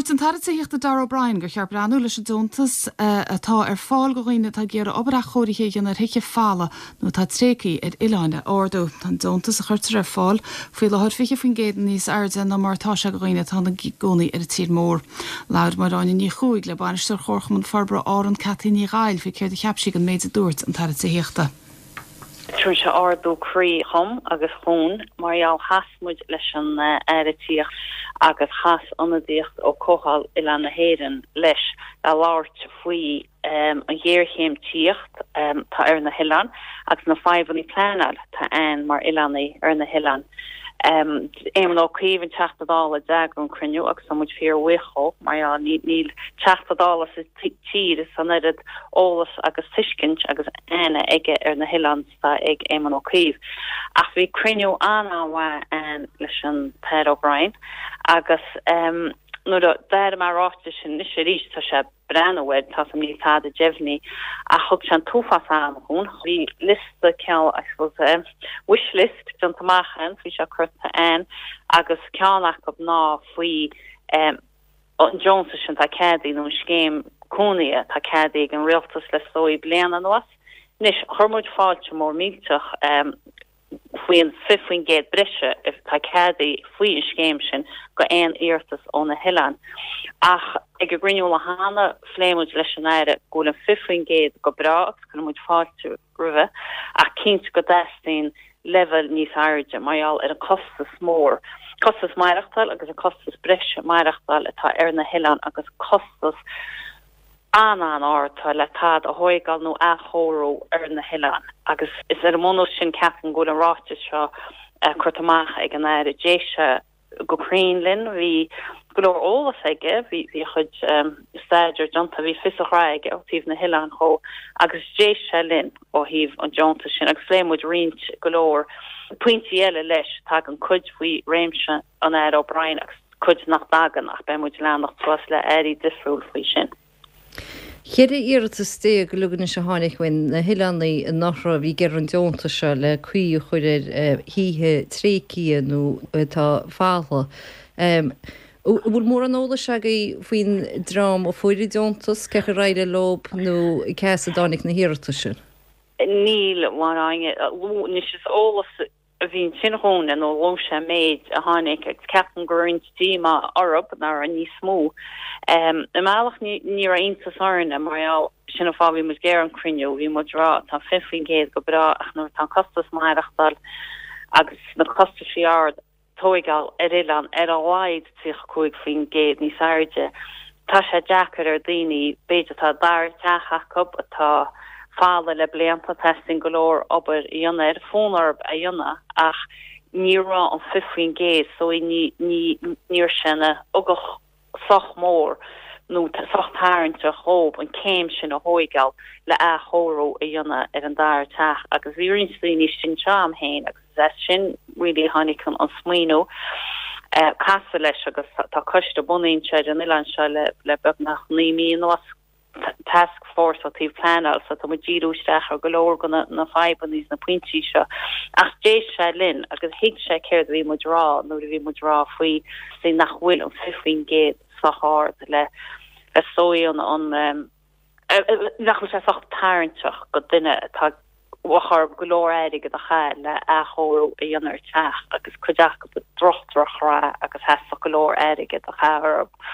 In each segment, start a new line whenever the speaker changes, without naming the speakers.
Dúirt an tAire Tithíochta Darragh O'Brien gur cheart breathnú leis an deontas atá ar fáil do dhaoine atá ag iarraidh obair athchóirithe a dhéanamh ar thithe folamh nó atá tréigthe ar oileáin a ardú. Tá an deontas a chuirtear ar fáil faoi láthair 20% níos airde ná mar atá sé do dhaoine atá ina gcónaí ar an tír mór. Labhair Máire Áine Ní Chuaig le Bainisteoir Chomharchumann Forbartha Árann Cathy Ní Ghaill faoi céard a cheap sí den méid a dúirt an tAire Tithíochta.
Tugann sé ardú croí dhom agus dhúinn mar gheall chas muid leis an Aire Tithíochta agus chas ionadaíocht ó Comhdháil Oileáin na hÉireann leis le labhairt faoi an ghéarchéim tithíocht atá ar na hoileáin agus na fadhbanna pleanáil atá ann mar oileánaigh ar na hoileáin. Éamon Ó Cuív an Teachta Dála a d'eagraigh an cruinniú agus tá muid fíor bhuíoch dhó mar gheall níl Teachta Dála sa tír is an oiread eolas agus tuiscint agus aithne aige ar na hoileáin is atá ag Éamon Ó Cuív. Ach bhí cruinniú an-an-mhaith ann leis an tAire O'Brien agus nuair a d'airigh mé an ráiteas sin anois arís tá sé breathnú air, tá 's a'm níl tada deimhnithe ach thug sé an t-uafás ama dhúinn. Bhí liosta cineál, I suppose, wish list déanta amach ann, bhí sé curtha ann agus ceann acu ná faoi an deontas sin atá ceadaithe nó an scéim cónaithe atá ceadaithe ag an rialtas le is dóigh bliain anuas. Anois, chuir muid fáilte mór millteach faoi an 20% breise atá ceadaithe faoi an scéim sin go aon iarratas ó na hoileáin. Ach ag an gcruinniú lá cheana, phléigh muid leis an Aire go bhfuil an 20% go breá agus cuireann muid fáilte roimhe ach cinnte go dteastaíonn leibhéal níos airde mar gheall ar an costas mór, costas maireachtáil agus an costas breise maireachtáil atá ar na hoileáin agus costas an-an-ard atá le tada a thóigeáil nó athchóiriú ar na hoileáin agus is ar an mbunús sin ceapaim go bhfuil an ráiteas seo curtha amach ag an Aire. D'éist sé go cruinn linn, bhí go leor eolas aige, bhí a chuid staidéir déanta, bhí fios a ghraithe aige ó thaobh na hoileáin dhó agus d'éist sé linn ó thaobh an deontais sin agus phléigh muid roinnt go leor pointí eile leis, tagann cuid faoi réimse an Aire O'Brien agus cuid nach dtagann ach beidh muid ag leanacht suas le airí difriúil faoi sin.
14 iarratas uilig anois a tháinig ó na hoileánaigh anuraidh a bhí ag iarraidh an deontas seo le caoi a chur ar thithe tréigthe nó atá folamh. An bhfuil mórán eolais agaibh faoin dream a fuair an deontas, cén chaoi ar éirigh leo nó cé as a dtáinig na hiarratais sin?
Níl, a Mháire Áine. Anois is eolas a bhí ansin dhúinne nó luaigh sé an méid a tháinig agus ceapaim go raibh roinnt díomá orthu nach raibh níos mó. I mbealach ní raibh iontas orainne mar gheall, sin an fáth a bhí muid ag iarraidh an cruinniú, bhí muid ag rá tá 20% go breá ach nuair atá an costas maireachtáil agus na costaisí ard, tóigeáil ar oileán ar a laghad 35% níos airde. Tá sé deacair ar daoine, b'fhéidir atá dara teach acu atá folamh le blianta, teastaíonn go leor obair a dhéanamh air, fonn orthu é a dhéanamh ach ní raibh an 20% so ní ní ní raibh sé ina ugach sách mór nó sách tarraingteach dhóibh an céim sin a thóigeáil le athchóiriú a dhéanamh ar an dara teach agus bhí roinnt daoine istigh anseo a'm féin agus is as sin really a tháinig an smaoineamh casadh leis agus tá coiste bunaithe anseo ar an oileán seo le beagnach 9 mí anuas. task force ó taobh pleanáil so tá muid díriú isteach ar go leor de na fadhbanna is na pointí seo ach d'éist sé linn agus thuig sé céard a bhí muid rá nuair a bhí muid rá faoi faoi nach bhfuil an 20% sách ard le le sóigh an an nach bhfuil sé sách tarraingteach go duine atá bheadh orthu go leor airgead a chaitheamh le athchóiriú a dhéanamh ar teach agus cuid acu i droch-droch-dhrath agus theastódh go leor airgead a chaitheamh orthu.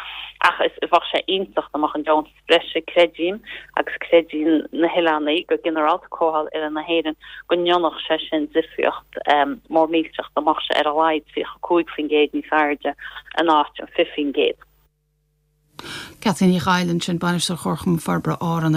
Ach is bheadh sé iontach dá mbeadh an deontas breise, creidim, agus creideann na hoileánaigh go ginearálta, Comhdháil Oileáin na hÉireann, go ndéanfadh sé sin difríocht mór millteach dá mbeadh sé ar a laghad 35% níos airde in áit an 20%.
Cathy Ní Ghaill ansin, Bainisteoir Chomharchumann Forbartha Árann.